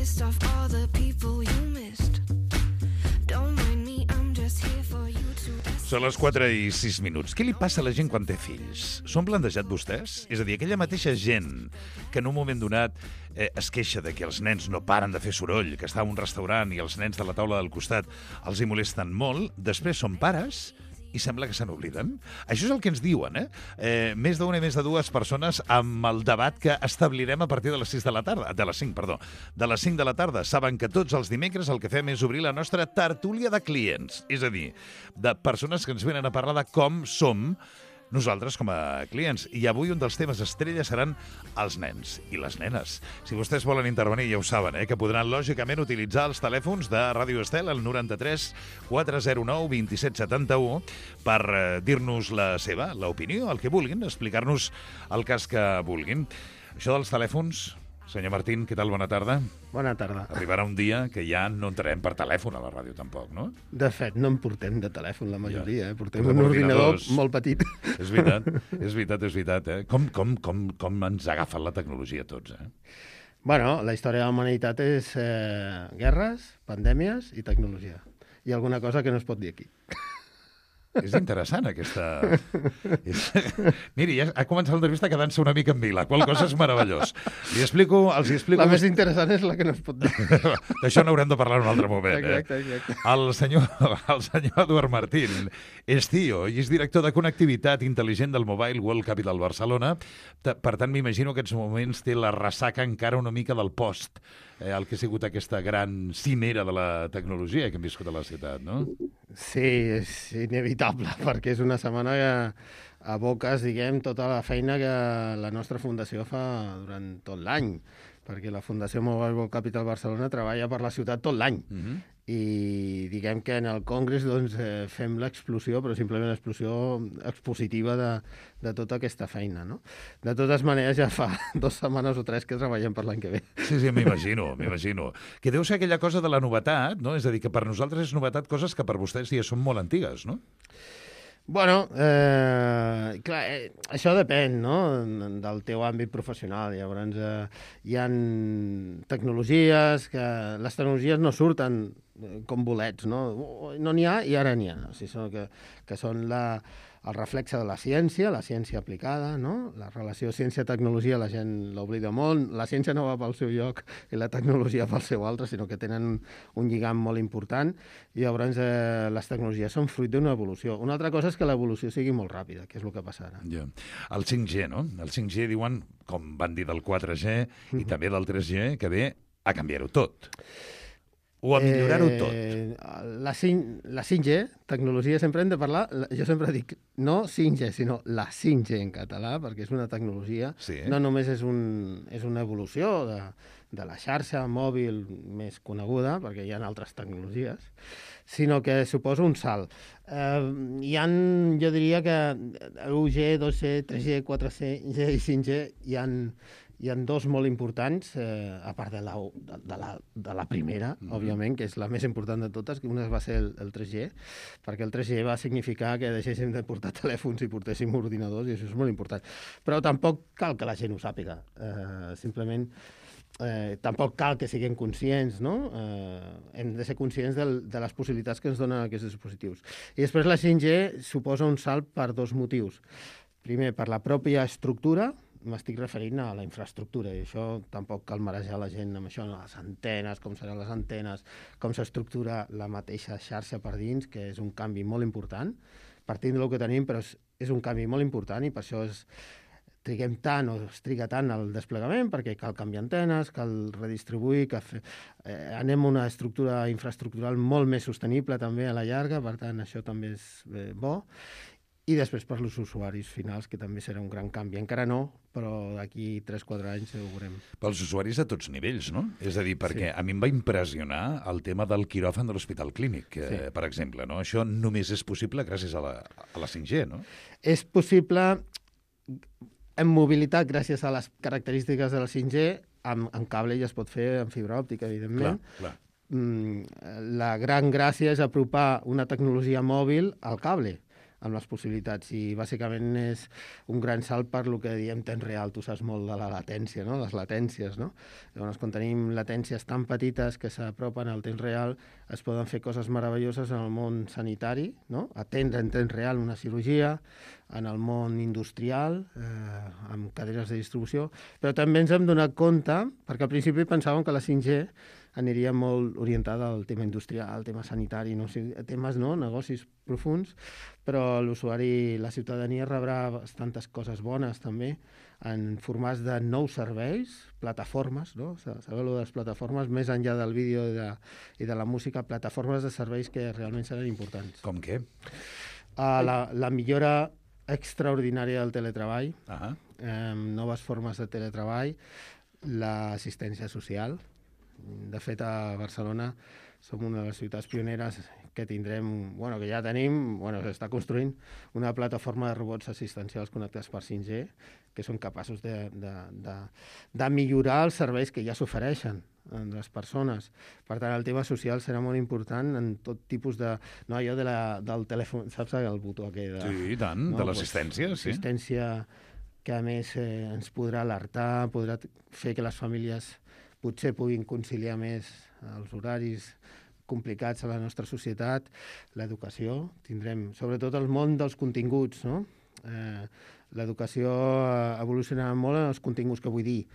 list of all the people you missed. Don't mind me, I'm just here for you to... Són les 4:06. Què li passa a la gent quan té fills? S'ho han plantejat vostès? És a dir, aquella mateixa gent que en un moment donat es queixa de que els nens no paren de fer soroll, que està a un restaurant i els nens de la taula del costat els hi molesten molt, després són pares i sembla que se n'obliden. Això és el que ens diuen, més d'una i més de dues persones amb el debat que establirem a partir de les 6 de la tarda. De les 5, perdó. De les 5 de la tarda. Saben que tots els dimecres el que fem és obrir la nostra tertúlia de clients. És a dir, de persones que ens venen a parlar de com som nosaltres com a clients. I avui un dels temes estrella seran els nens i les nenes. Si vostès volen intervenir, ja ho saben, que podran lògicament utilitzar els telèfons de Ràdio Estel, el 93 409 2771, per dir-nos la seva, l'opinió, el que vulguin, explicar-nos el cas que vulguin. Això dels telèfons... Senyor Martín, què tal? Bona tarda. Bona tarda. Arribarà un dia que ja no entrarem per telèfon a la ràdio, tampoc, no? De fet, no en portem de telèfon, la majoria. Portem un ordinador molt petit. És veritat, és veritat. Com ens ha agafat la tecnologia a tots, Bueno, la història de la humanitat és guerres, pandèmies i tecnologia. I alguna cosa que no es pot dir aquí. És interessant, aquesta... Miri, ja ha començat l'entrevista quedant-se una mica en vila, qual cosa és meravellós. Els hi explico... La més interessant és la que no es pot dir. D'això n'haurem de parlar en un altre moment. Exacte. El senyor Eduard Martín és CEO i és director de connectivitat intel·ligent del Mobile World Capital Barcelona. Per tant, m'imagino que en aquests moments té la ressaca encara una mica del post, el que ha sigut aquesta gran cimera de la tecnologia que hem viscut a la ciutat, no? Sí, és inevitable, perquè és una setmana que aboques, diguem, tota la feina que la nostra fundació fa durant tot l'any, perquè la Fundació Mobile World Capital Barcelona treballa per la ciutat tot l'any. I diguem que en el Congrés doncs, fem l'explosió, però simplement l'explosió expositiva de tota aquesta feina, no? De totes maneres, ja fa 2 setmanes o 3 que treballem per l'any que ve. Sí, m'imagino. Que deu ser aquella cosa de la novetat, no? És a dir, que per nosaltres és novetat coses que per vostès ja són molt antigues, no? Bueno, clar, això depèn, no?, del teu àmbit professional. Llavors, hi ha tecnologies que... Les tecnologies no surten com bolets, no? No n'hi ha i ara n'hi ha. O sigui, que són el reflexe de la ciència aplicada, no? La relació ciència-tecnologia la gent l'oblida molt. La ciència no va pel seu lloc i la tecnologia pel seu altre, sinó que tenen un lligam molt important. I llavors les tecnologies són fruit d'una evolució. Una altra cosa és que l'evolució sigui molt ràpida, que és el que passa ara. Ja. El 5G, no? El 5G diuen, com van dir del 4G i també del 3G, que ve a canviar-ho tot. O a millorar-ho tot. La 5G, tecnologia, sempre hem de parlar... Jo sempre dic, no 5G, sinó la 5G en català, perquè és una tecnologia. Sí. No només és una evolució de la xarxa mòbil més coneguda, perquè hi ha altres tecnologies, sinó que suposa un salt. Jo diria que 1G, 2G, 3G, 4G i 5G hi ha 2 molt importants, a part de la primera, òbviament, que és la més important de totes, que una va ser el 3G, perquè el 3G va significar que deixéssim de portar telèfons i portéssim ordinadors, i això és molt important. Però tampoc cal que la gent ho sàpiga. Simplement, tampoc cal que siguem conscients, no? Hem de ser conscients de les possibilitats que ens donen aquests dispositius. I després la 5G suposa un salt per 2 motius. Primer, per la pròpia estructura, m'estic referint a la infraestructura, i això tampoc cal marejar la gent amb això, les antenes, com seran les antenes, com s'estructura la mateixa xarxa per dins, que és un canvi molt important. Partint del que tenim, però és un canvi molt important i per això triguem tant o es triga tant el desplegament, perquè cal canviar antenes, cal redistribuir, anem a una estructura infraestructural molt més sostenible també a la llarga, per tant això també és bo. I després per als usuaris finals, que també serà un gran canvi. Encara no, però d'aquí 3-4 anys ho veurem. Pels usuaris a tots nivells, no? És a dir, perquè a mi em va impressionar el tema del quiròfan de l'Hospital Clínic, per exemple, no? Això només és possible gràcies a la 5G, no? És possible en mobilitat gràcies a les característiques de la 5G, amb cable ja es pot fer amb fibra òptica, evidentment. Clar. La gran gràcia és apropar una tecnologia mòbil al cable. amb les possibilitats. I bàsicament és un gran salt per lo que diem temps real. Tu saps molt de la latència, no? Les latències, no? Llavors, quan tenim latències tan petites que s'apropen al temps real, es poden fer coses meravelloses en el món sanitari, no? Atendre en temps real una cirurgia, en el món industrial, amb cadenes de distribució, però també ens hem donat compte, perquè al principi pensàvem que la 5G aniria molt orientada al tema industrial, al tema sanitari, no? O sigui, temes, no? Negocis profuns, però l'usuari, la ciutadania rebrà bastantes coses bones també en formats de nous serveis, plataformes, no? Sabeu allò de les plataformes, més enllà del vídeo i de la música, plataformes de serveis que realment seran importants. Com què? La millora extraordinària del teletreball, noves formes de teletreball, l'assistència social. De fet, a Barcelona som una de les ciutats pioneres que tindrem, bueno, que ja tenim, bueno, s'està construint una plataforma de robots assistencials connectats per 5G que són capaços de millorar els serveis que ja s'ofereixen a les persones. Per tant, el tema social serà molt important en tot tipus de... No, allò del telèfon, saps el botó aquell? Sí, i tant, de l'assistència, sí. Assistència que, a més, ens podrà alertar, podrà fer que les famílies potser puguin conciliar més els horaris complicats a la nostra societat, l'educació, tindrem, sobretot el món dels continguts, no? L'educació evolucionarà molt en els continguts, que vull dir,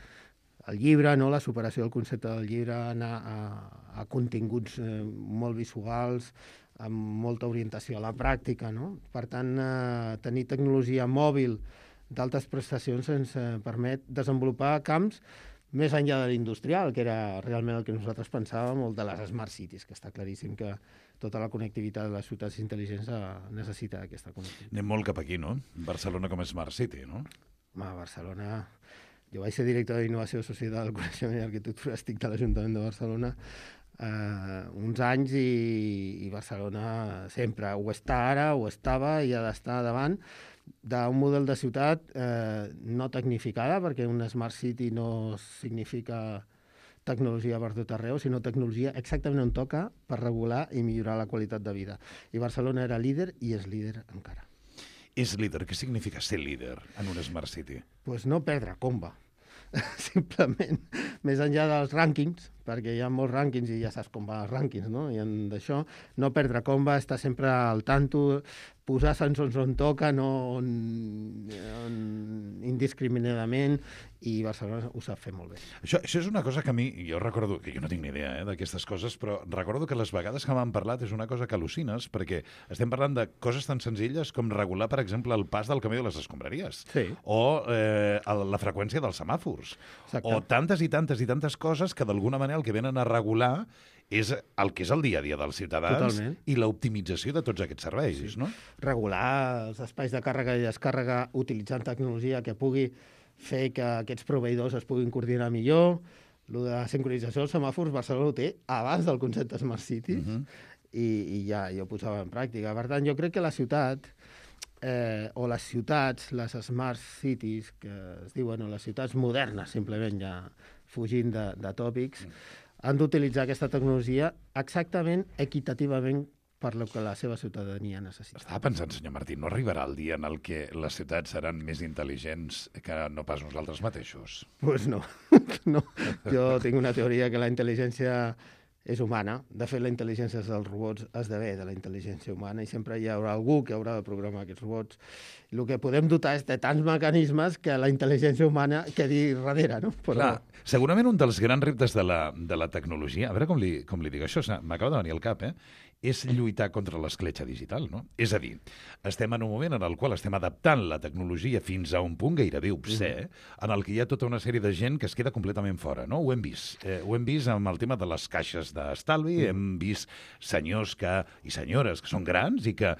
el llibre, no? La superació del concepte del llibre, anar a continguts molt visuals, amb molta orientació a la pràctica, no? Per tant, tenir tecnologia mòbil d'altes prestacions ens permet desenvolupar camps més enllà de l'industrial, que era realment el que nosaltres pensàvem, o de les smart cities, que està claríssim que tota la connectivitat de les ciutats intel·ligents necessita aquesta connectivitat. Anem molt cap aquí, no? Barcelona com a smart city, no? A Barcelona... Jo vaig ser director d'Innovació Societat del Coneixement i Arquitectura, estic de l'Ajuntament de Barcelona uns anys i Barcelona sempre ho està ara, ho estava i ha d'estar davant d'un model de ciutat no tecnificada, perquè una smart city no significa tecnologia per tot arreu, sinó tecnologia exactament on toca per regular i millorar la qualitat de vida. I Barcelona era líder i és líder encara. És líder. Què significa ser líder en una smart city? Pues no perdre comba. Simplement, més enllà dels rànquings, perquè hi ha molts rànquings i ja saps com van els rànquings, no? I d'això, no perdre comba, estar sempre al tanto, posar sensors on toca, no indiscriminadament, i Barcelona ho sap fer molt bé. Això és una cosa que a mi, jo recordo, que jo no tinc ni idea d'aquestes coses, però recordo que les vegades que m'han parlat és una cosa que al·lucines, perquè estem parlant de coses tan senzilles com regular, per exemple, el pas del camió de les escombraries, sí. O la freqüència dels semàfors, exacte. O tantes i tantes i tantes coses que d'alguna manera el que venen a regular és el que és el dia a dia dels ciutadans. Totalment. I l'optimització de tots aquests serveis, sí. No? Regular els espais de càrrega i descàrrega utilitzant tecnologia que pugui fer que aquests proveïdors es puguin coordinar millor. Lo de la sincronització dels semàfors, Barcelona ho té abans del concepte Smart Cities, i ja ho posava en pràctica. Per tant, jo crec que la ciutat, o les ciutats, les Smart Cities, que es diuen, o les ciutats modernes, simplement ja fugint de tòpics, han d'utilitzar aquesta tecnologia exactament equitativament per lo que la seva ciutadania necessita. Estava pensant, senyor Martí, no arribarà el dia en el que les ciutats seran més intel·ligents que no pas nosaltres mateixos? Pues no. No. Jo tinc una teoria que la intel·ligència és humana. De fet, la intel·ligència dels robots esdevé de la intel·ligència humana i sempre hi haurà algú que haurà de programar aquests robots. El que podem dotar és de tants mecanismes que la intel·ligència humana quedi darrere, no? Però... Clar, segurament un dels grans reptes de la tecnologia, a veure com li dic això, m'acaba de venir al cap, és lluitar contra l'escletxa digital, no? És a dir, estem en un moment en el qual estem adaptant la tecnologia fins a un punt gairebé obscè, en el que hi ha tota una sèrie de gent que es queda completament fora, no? Ho hem vist. Ho hem vist amb el tema de les caixes d'estalvi, hem vist senyors i senyores que són grans i que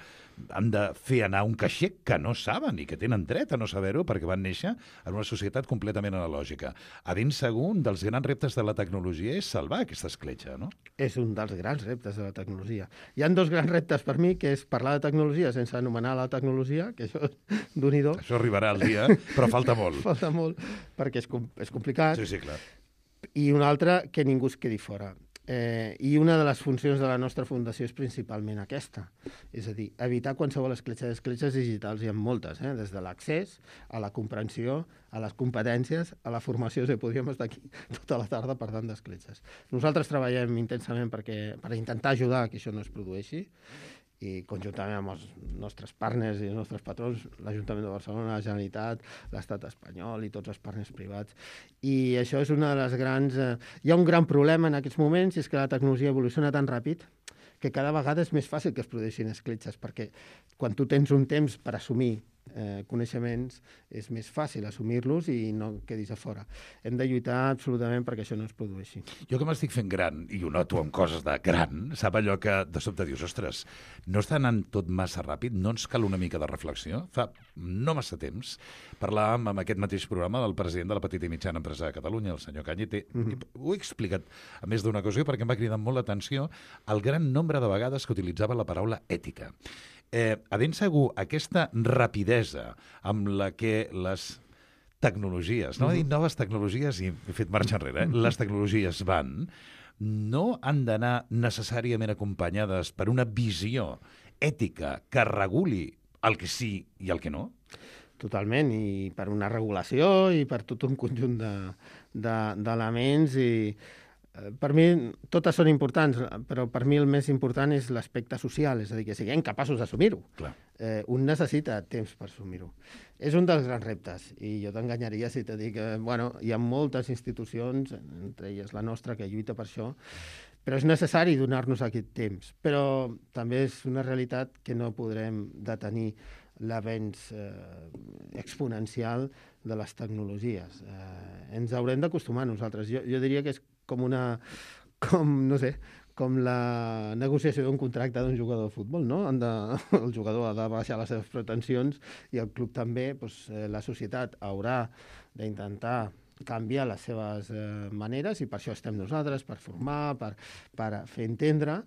han de fer anar un caixer que no saben i que tenen dret a no saber-ho perquè van néixer en una societat completament analògica. A ben segur, un dels grans reptes de la tecnologia és salvar aquesta escletxa, no? És un dels grans reptes de la tecnologia. Hi ha dos grans reptes per mi, que és parlar de tecnologia sense anomenar la tecnologia, que això d'un-i-do. Això arribarà al dia, però falta molt. Falta molt, perquè és complicat. Sí, clar. I un altre, que ningú es quedi fora. I una de les funcions de la nostra fundació és principalment aquesta. És a dir, evitar qualsevol escletxa. Escletxes digitals hi ha moltes, des de l'accés a la comprensió, a les competències, a la formació. Podríem estar aquí tota la tarda parlant d'escletxes. Nosaltres treballem intensament per intentar ajudar a que això no es produeixi, i conjuntament amb els nostres partners i els nostres patrons, l'Ajuntament de Barcelona, la Generalitat, l'Estat espanyol i tots els partners privats. I això és una de les grans... Hi ha un gran problema en aquests moments, i és que la tecnologia evoluciona tan ràpid que cada vegada és més fàcil que es produeixin escletxes, perquè quan tu tens un temps per assumir coneixements, és més fàcil assumir-los i no quedis a fora. Hem de lluitar absolutament perquè això no es produeixi. Jo que m'estic fent gran, i ho noto amb coses de gran, sap allò que de sobte dius, ostres, no està anant tot massa ràpid? No ens cal una mica de reflexió? Fa no massa temps parlàvem amb aquest mateix programa del president de la petita i mitjana empresa de Catalunya, el senyor Cañete. Ho he explicat a més d'una ocasió perquè em va cridar molt l'atenció el gran nombre de vegades que utilitzava la paraula ètica. A ben segur, aquesta rapidesa amb la que les tecnologies, no he dit noves tecnologies i he fet marxa enrere, les tecnologies van, no han d'anar necessàriament acompanyades per una visió ètica que reguli el que sí i el que no? Totalment, i per una regulació i per tot un conjunt d'elements i... Per mi, totes són importants, però per mi el més important és l'aspecte social, és a dir, que siguem capaços d'assumir-ho. Un necessita temps per assumir-ho. És un dels grans reptes, i jo t'enganyaria si te dic que hi ha moltes institucions, entre elles la nostra, que lluita per això, però és necessari donar-nos aquest temps. Però també és una realitat que no podrem detenir l'avenç exponencial de les tecnologies. Ens haurem d'acostumar nosaltres. Jo diria que és com la negociació d'un contracte d'un jugador de futbol, no? El jugador ha de baixar les seves pretensions i el club també, la societat haurà d'intentar canviar les seves maneres, i per això estem nosaltres, per formar, per fer entendre,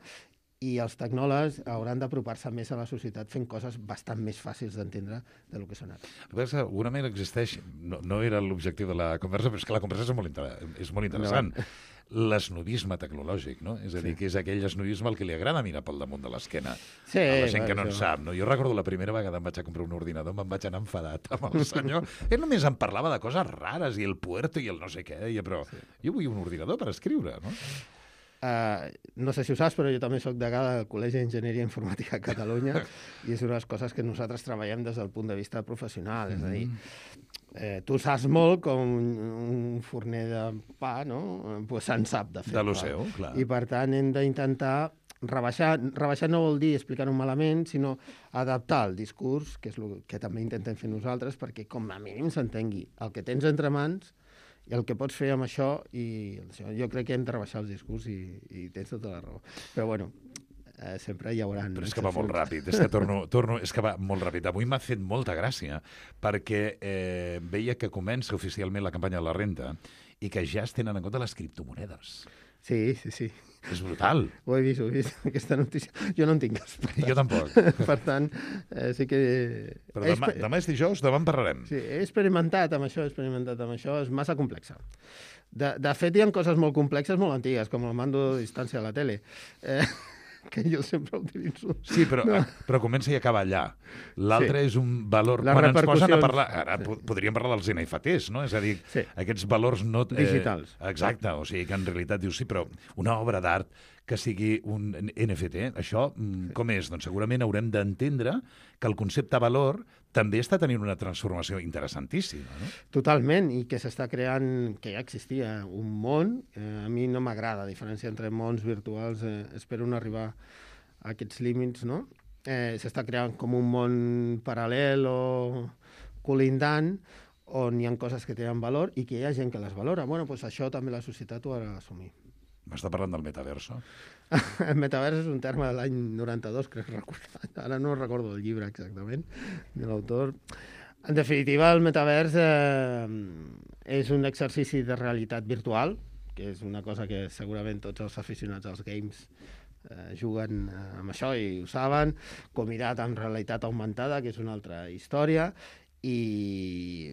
i els tecnòlegs hauran d'apropar-se més a la societat fent coses bastant més fàcils d'entendre del que són ara. Segurament existeix, no era l'objectiu de la conversa, però és que la conversa és molt interessant. L'esnobisme tecnològic, no? És a dir, que és aquell esnobisme al que li agrada mirar pel damunt de l'esquena a la gent que no en sap, no? Jo recordo la primera vegada em vaig a comprar un ordinador, me'n vaig anar enfadat amb el senyor. Ell només em parlava de coses rares, i el puerto i el no sé què, però jo vull un ordinador per escriure, no? No sé si ho saps, però jo també soc degà del Col·legi d'Enginyeria Informàtica a Catalunya i és una de les coses que nosaltres treballem des del punt de vista professional. És a dir, tu saps molt com un forner de pa, no? Pues se'n sap de fer. De lo seu, clar. I per tant hem d'intentar rebaixar. Rebaixar no vol dir explicar-ho malament, sinó adaptar el discurs, que és el que també intentem fer nosaltres, perquè com a mínim s'entengui el que tens entre mans i el que pots fer amb això, i jo crec que hem de rebaixar els discurs i tens tota la raó. Però bueno, sempre hi haurà... Però és que va molt ràpid, és que va molt ràpid. Avui m'ha fet molta gràcia, perquè veia que comença oficialment la campanya de la renta i que ja es tenen en compte les criptomonedes. Sí. És brutal. Ho he vist, aquesta notícia. Jo no en tinc cas. Jo tampoc. Per tant, sí que... Però demà és dijous, demà en parlarem. Sí, he experimentat amb això, és massa complexa. De fet, hi ha coses molt complexes, molt antigues, com el mando de distància a la tele, que jo sempre utilitzo. Sí, però comença i acaba allà. L'altre és un valor... Quan ens posen a parlar... Ara podríem parlar dels NFTs, no? És a dir, aquests valors no... digitals. Exacte, o sigui que en realitat dius, sí, però una obra d'art que sigui un NFT, això com és? Doncs segurament haurem d'entendre que el concepte valor també està tenint una transformació interessantíssima, no? Totalment, i que s'està creant, que ja existia un món, a mi no m'agrada, a diferència entre mons virtuals, espero no arribar a aquests límits, no? S'està creant com un món paral·lel o colindant, on hi ha coses que tenen valor i que hi ha gent que les valora. Bueno, doncs això també la societat ho ha d'assumir. M'està parlant del metaverso? El metavers és un terme de l'any 92, crec recordar. Ara no recordo el llibre exactament, de l'autor. En definitiva, el metavers és un exercici de realitat virtual, que és una cosa que segurament tots els aficionats als games juguen amb això i ho saben, combinat amb realitat augmentada, que és una altra història, i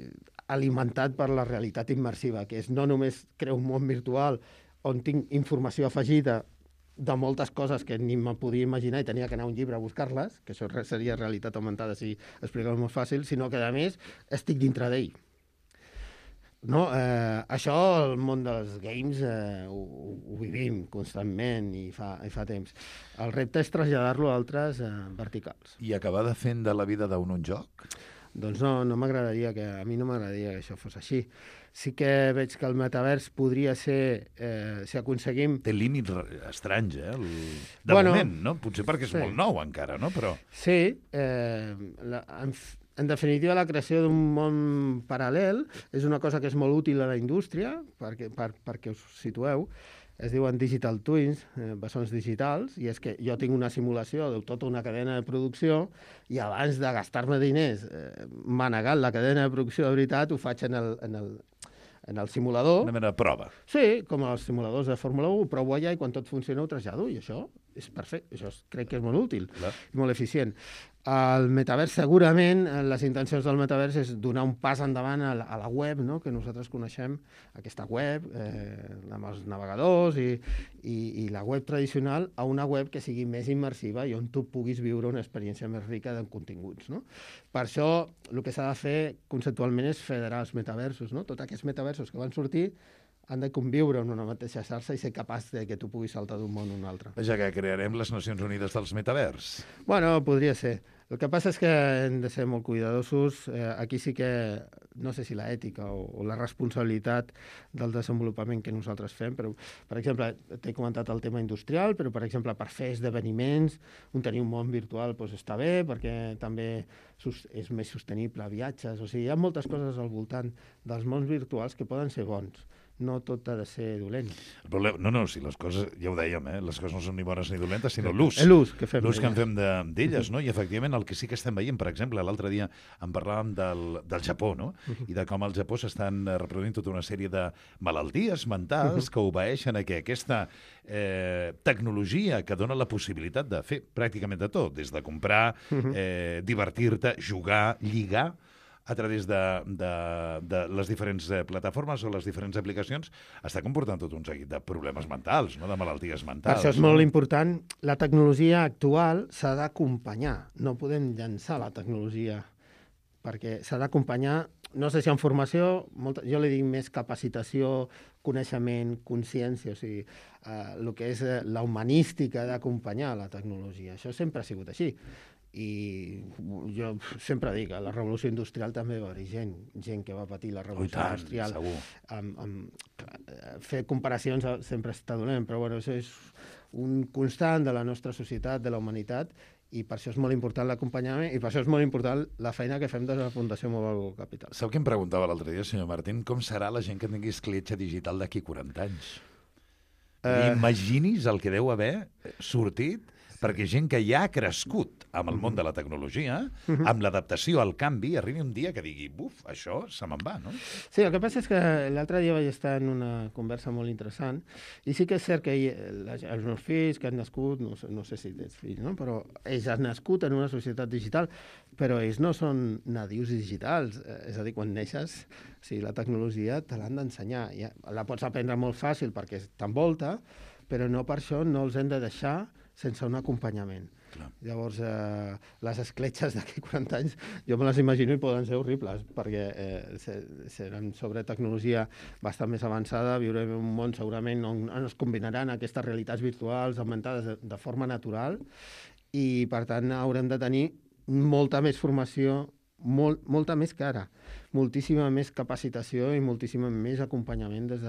alimentat per la realitat immersiva, que és no només crear un món virtual on tinc informació afegida de moltes coses que ni me podia imaginar i tenia que anar a un llibre a buscar-les, que això seria realitat augmentada si explicar-ho molt fàcil, sinó que, a més, estic dintre d'ell. No, això, el món dels games, ho vivim constantment i fa temps. El repte és traslladar-lo a altres verticals. I acabar de fent de la vida d'un un joc? Doncs no m'agradaria a mi no m'agradaria que això fos així. Sí que veig que el metavers podria ser, si aconseguim... Té límits estranys, de moment, no? Potser perquè és molt nou encara, no? Però... Sí, en definitiva, la creació d'un món paral·lel és una cosa que és molt útil a la indústria, perquè us situeu. Es diuen digital twins, bessons digitals, i és que jo tinc una simulació de tota una cadena de producció i abans de gastar-me diners manegant la cadena de producció de veritat, ho faig en el simulador. Una mena de prova. Sí, com els simuladors de Fórmula 1, ho provo allà i quan tot funciona ho trasllado, i això és perfecte, això crec que és molt útil i molt eficient. El metavers, segurament, les intencions del metavers és donar un pas endavant a la web, no?, que nosaltres coneixem, aquesta web, amb els navegadors i la web tradicional, a una web que sigui més immersiva i on tu puguis viure una experiència més rica de continguts, no? Per això, el que s'ha de fer conceptualment és federar els metaversos, no? Tots aquests metaversos que van sortir han de conviure en una mateixa xarxa i ser capaç de que tu puguis saltar d'un món a un altre. Ja que crearem les Nacions Unides dels metavers. Bueno, podria ser. El que passa és que hem de ser molt cuidadosos. Aquí sí que, no sé si la ètica o la responsabilitat del desenvolupament que nosaltres fem, però, per exemple, t'he comentat el tema industrial, però, per exemple, per fer esdeveniments, tenir un món virtual doncs, està bé, perquè també és més sostenible, viatges, o sigui, hi ha moltes coses al voltant dels mons virtuals que poden ser bons. No tot ha de ser dolent. No, si les coses, ja ho dèiem, les coses no són ni bones ni dolentes, sinó l'ús. L'ús que fem. L'ús que en fem d'elles, no? I efectivament el que sí que estem veient, per exemple, l'altre dia en parlàvem del Japó, no? I de com al Japó s'estan reproduint tota una sèrie de malalties mentals que obeeixen a que aquesta tecnologia que dona la possibilitat de fer pràcticament de tot, des de comprar, divertir-te, jugar, lligar, a través de les diferents plataformes o les diferents aplicacions, està comportant tot un seguit de problemes mentals, no? De malalties mentals. Per això és molt important. La tecnologia actual s'ha d'acompanyar. No podem llançar la tecnologia, perquè s'ha d'acompanyar, no sé si en formació, jo li dic més capacitació, coneixement, consciència, o sigui, el que és la humanística d'acompanyar la tecnologia. Això sempre ha sigut així. I jo sempre dic, a la revolució industrial també va haver gent que va patir la revolució industrial. Fer comparacions sempre està dolent, però bueno, això és un constant de la nostra societat, de la humanitat, i per això és molt important l'acompanyament i per això és molt important la feina que fem des de la Fundació Mobile Capital. Sap què em preguntava l'altre dia, senyor Martín? Com serà la gent que tingui escletxa digital d'aquí 40 anys? Imagini's el que deu haver sortit, perquè gent que ja ha crescut amb el món de la tecnologia, amb l'adaptació al canvi, arribi un dia que digui, buf, això se me'n va, no? Sí, el que passa és que l'altre dia vaig estar en una conversa molt interessant i sí que és cert que els meus fills que han nascut, no sé si tens fills, no? Però ells han nascut en una societat digital, però ells no són nadius digitals, és a dir, quan neixes, o sigui, la tecnologia te l'han d'ensenyar. La pots aprendre molt fàcil perquè t'envolta, però no per això no els hem de deixar sense un acompanyament. Clar. Llavors, les escletxes d'aquí 40 anys, jo me les imagino i poden ser horribles, perquè seran sobre tecnologia bastant més avançada, viurem en un món segurament on es combinaran aquestes realitats virtuals augmentades de forma natural i, per tant, haurem de tenir molta més formació, molta més que ara, moltíssima més capacitació i moltíssima més acompanyament des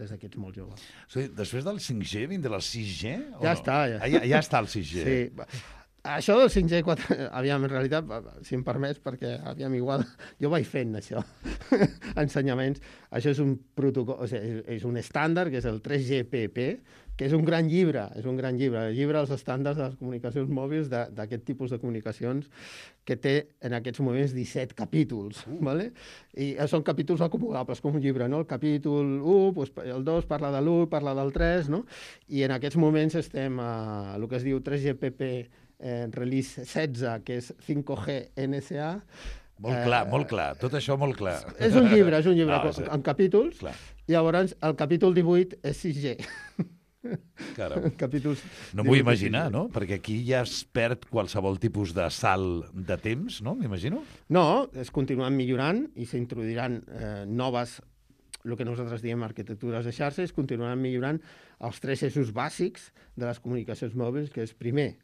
d'aquests molt joves. O sigui, després del 5G vindrà el 6G? Ja està. Ja està el 6G. Sí. Això del 5G, aviam, en realitat, si em permets, perquè aviam, igual, jo vaig fent això, ensenyaments. Això és un protocol, o sigui, és un estàndard, que és el 3GPP, que és un gran llibre, el llibre dels estàndards de les comunicacions mòbils d'aquest tipus de comunicacions que té en aquests moments 17 capítols, ¿vale? I són capítols acumulables, com un llibre, no? El capítol 1, doncs, el 2 parla de l'1, parla del 3, no? I en aquests moments estem a el que es diu 3GPP Release 16, que és 5G NSA. Molt clar, tot això molt clar. És un llibre en capítols, Llavors, el capítol 18 és 6G. Caram. Capítols No m'ho vull 18 imaginar, 6G. no? Perquè aquí ja es perd qualsevol tipus de salt de temps, no? M'imagino. No, es continuen millorant i s'introduiran noves, el que nosaltres diem arquitectures de xarxa, es continuaran millorant els 3 eixos bàsics de les comunicacions mòbils, que és, primer,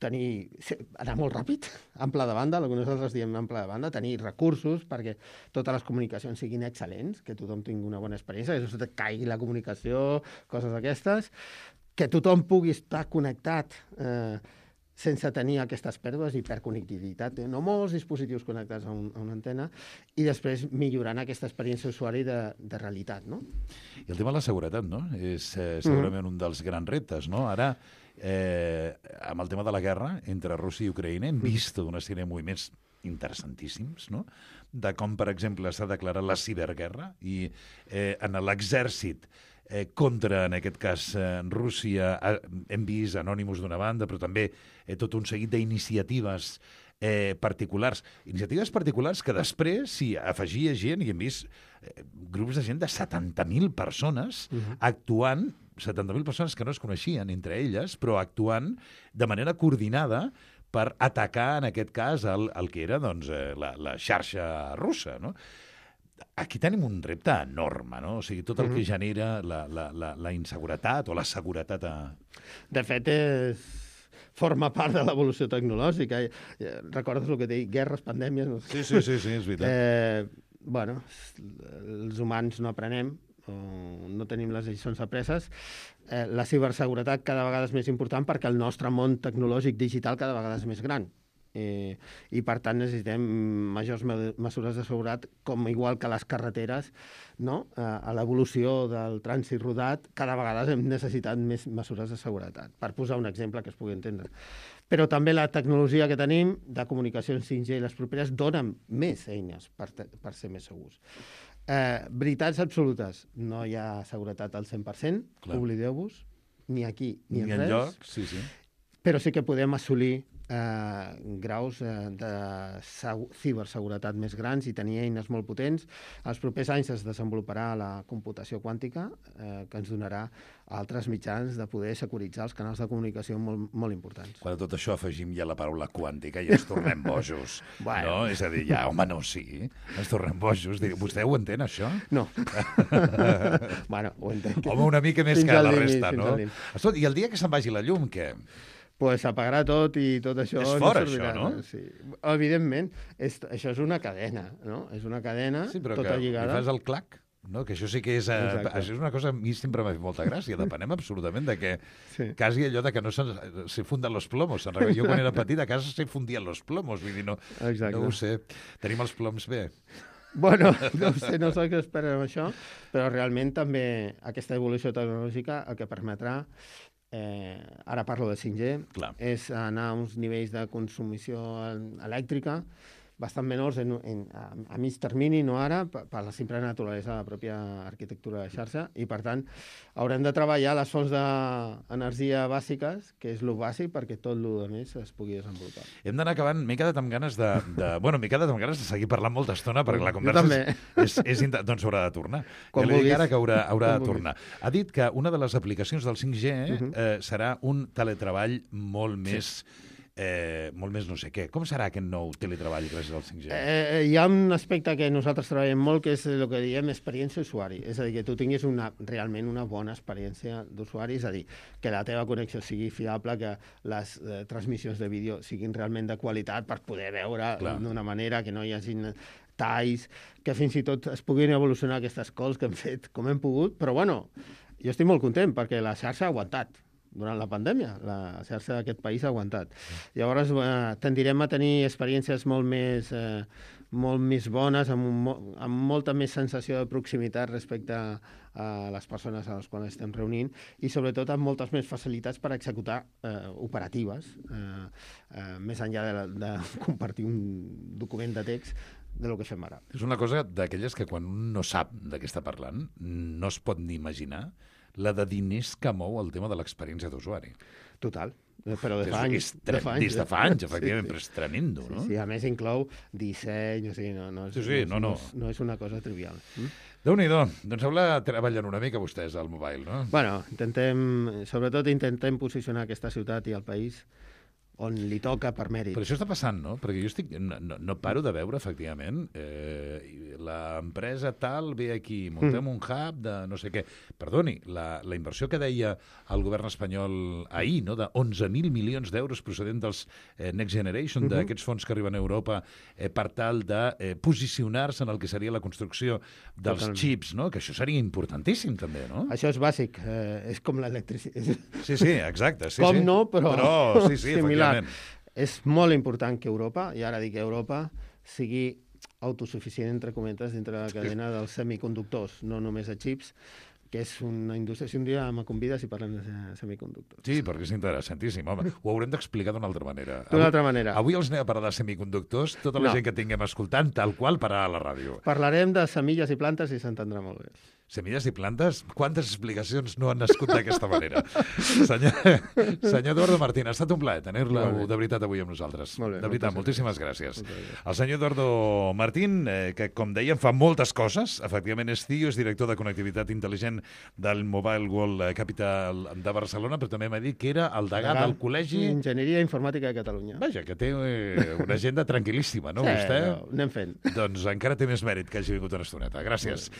anar molt ràpid, ample de banda, el que nosaltres diem ample de banda, tenir recursos perquè totes les comunicacions siguin excel·lents, que tothom tingui una bona experiència, que no se caigui la comunicació, coses d'aquestes, que tothom pugui estar connectat sense tenir aquestes pèrdues, hiperconnectivitat, no molts dispositius connectats a una antena, i després millorant aquesta experiència d'usuari de realitat, no? I el tema de la seguretat, no? És segurament un dels grans reptes, no? Ara, amb el tema de la guerra entre Rússia i Ucraïna, hem vist una sèrie de moviments interessantíssims, no? De com, per exemple, s'ha declarat la ciberguerra i en l'exèrcit contra, en aquest cas, Rússia, hem vist Anonymous d'una banda, però també tot un seguit d'iniciatives particulars. Iniciatives particulars que després s'hi afegia gent, i hem vist grups de gent de 70.000 persones actuant, 70.000 persones que no es coneixien entre elles, però actuant de manera coordinada per atacar, en aquest cas, el que era doncs, la xarxa russa, no? Aquí tenim un repte enorme, no? O sigui, tot el que genera la inseguretat o la seguretat De fet, forma part de l'evolució tecnològica. Recordes el que dic? Guerres, pandèmies... No sé. Sí, és veritat. Bueno, els humans no aprenem, no tenim les lliçons apreses. La ciberseguretat cada vegada és més important perquè el nostre món tecnològic digital cada vegada és més gran. I per tant necessitem majors mesures de seguretat, com igual que les carreteres, no? A l'evolució del trànsit rodat cada vegada hem necessitat més mesures de seguretat, per posar un exemple que es pugui entendre. Però també la tecnologia que tenim de comunicacions 5G i les properes donen més eines per ser més segurs. Veritats absolutes, no hi ha seguretat al 100%, oblideu-vos, ni aquí ni en res, lloc, sí. Però sí que podem assolir graus de ciberseguretat més grans i tenir eines molt potents. Els propers anys es desenvoluparà la computació quàntica, que ens donarà altres mitjans de poder securitzar els canals de comunicació molt, molt importants. Quan a tot això afegim ja la paraula quàntica i ens tornem bojos. Bueno. No? És a dir, ja, home, no, sí, ens tornem bojos. Vostè ho entén, això? No. Bueno, ho entenc. Home, una mica més Fins que al la límit, resta, fins no? al límit. Escolta, i el dia que se'n vagi la llum, què? Pues apagarà tot i tot això... És fora, servirà, això, no? Sí. Evidentment, això és una cadena, no? És una cadena Sí, però tota que lligada. li fas el clac, no? Que això sí que és... Exacte. Això és una cosa que a mi sempre m'ha fet molta gràcia. Depenem absolutament de que... Sí. Quasi allò de que no se funden los plomos. Jo quan era petit a casa se fundien los plomos. Vull dir, no ho sé. Tenim els ploms bé. Bueno, no sé, no sé què esperen amb això, però realment també aquesta evolució tecnològica el que permetrà, ara parlo de 5G, és anar a uns nivells de consumició elèctrica bastant menors a mig termini, no ara, per la simple naturalesa de la pròpia arquitectura de xarxa, i per tant haurem de treballar les fonts d'energia bàsiques, que és el bàsic, perquè tot el més es pugui desenvolupar. Hem d'anar acabant. M'he quedat amb ganes m'he quedat amb ganes de seguir parlant molta estona, perquè la conversa doncs haurà de tornar. Ja li dic ara que haurà de tornar. Ha dit que una de les aplicacions del 5G serà un teletreball molt més no sé què. Com serà aquest nou teletreball gràcies al 5G? Hi ha un aspecte que nosaltres treballem molt, que és el que diem experiència d'usuari. És a dir, que tu tinguis realment una bona experiència d'usuari, és a dir, que la teva connexió sigui fiable, que les transmissions de vídeo siguin realment de qualitat per poder veure d'una manera que no hi hagi talls, que fins i tot es puguin evolucionar aquestes calls que hem fet com hem pogut, però bueno, jo estic molt content perquè la xarxa ha aguantat. Durant la pandèmia, la xarxa d'aquest país ha aguantat. Llavors, tendirem a tenir experiències molt més bones, amb molta més sensació de proximitat respecte a les persones a les quals estem reunint i, sobretot, amb moltes més facilitats per executar operatives, més enllà de compartir un document de text de lo que fem ara. És una cosa d'aquelles que quan un no sap de què està parlant, no es pot ni imaginar la de diners que mou el tema de l'experiència d'usuari. Total. però de fa anys. Des de fa anys, efectivament, però és tremendo, no? Sí, a més inclou disseny, o sigui, no és una cosa trivial. Déu-n'hi-do. Doncs treballen una mica vostès al mobile, no? Bueno, sobretot intentem posicionar aquesta ciutat i el país on li toca per mèrit. Però això està passant, no? Perquè jo no paro de veure, efectivament, l'empresa tal ve aquí, muntem un hub de no sé què. Perdoni, la inversió que deia el govern espanyol ahir, no? De 11.000 milions d'euros procedent dels Next Generation, d'aquests fons que arriben a Europa per tal de posicionar-se en el que seria la construcció dels xips, no? Que això seria importantíssim, també, no? Això és bàsic, és com l'electricitat. Sí, exacte. Sí, com no, però sí, similar. És molt important que Europa, i ara dic Europa, sigui autosuficient, entre cometes, dintre de la cadena dels semiconductors, no només de xips, que és una indústria. Si un dia me convides i parlem de semiconductors. Sí, perquè és interessantíssim. Home, ho haurem d'explicar d'una altra manera. D'una altra manera. Avui els anem a parlar de semiconductors, tota la gent que tinguem escoltant, tal qual pararà a la ràdio. Parlarem de semilles i plantes i s'entendrà molt bé. Semilles i plantes? Quantes explicacions no han nascut d'aquesta manera? Senyor Eduardo Martín, ha estat un plaer tenir-lo de veritat avui amb nosaltres. Molt bé, de veritat, moltíssimes gràcies. El senyor Eduardo Martín, que com dèiem fa moltes coses, efectivament és CEO, és director de connectivitat intel·ligent del Mobile World Capital de Barcelona, però també m'ha dit que era el degà del Col·legi... Enginyeria Informàtica de Catalunya. Vaja, que té una agenda tranquil·líssima, no, sí, vostè? Anem fent. Doncs encara té més mèrit que hagi vingut una estoneta. Gràcies.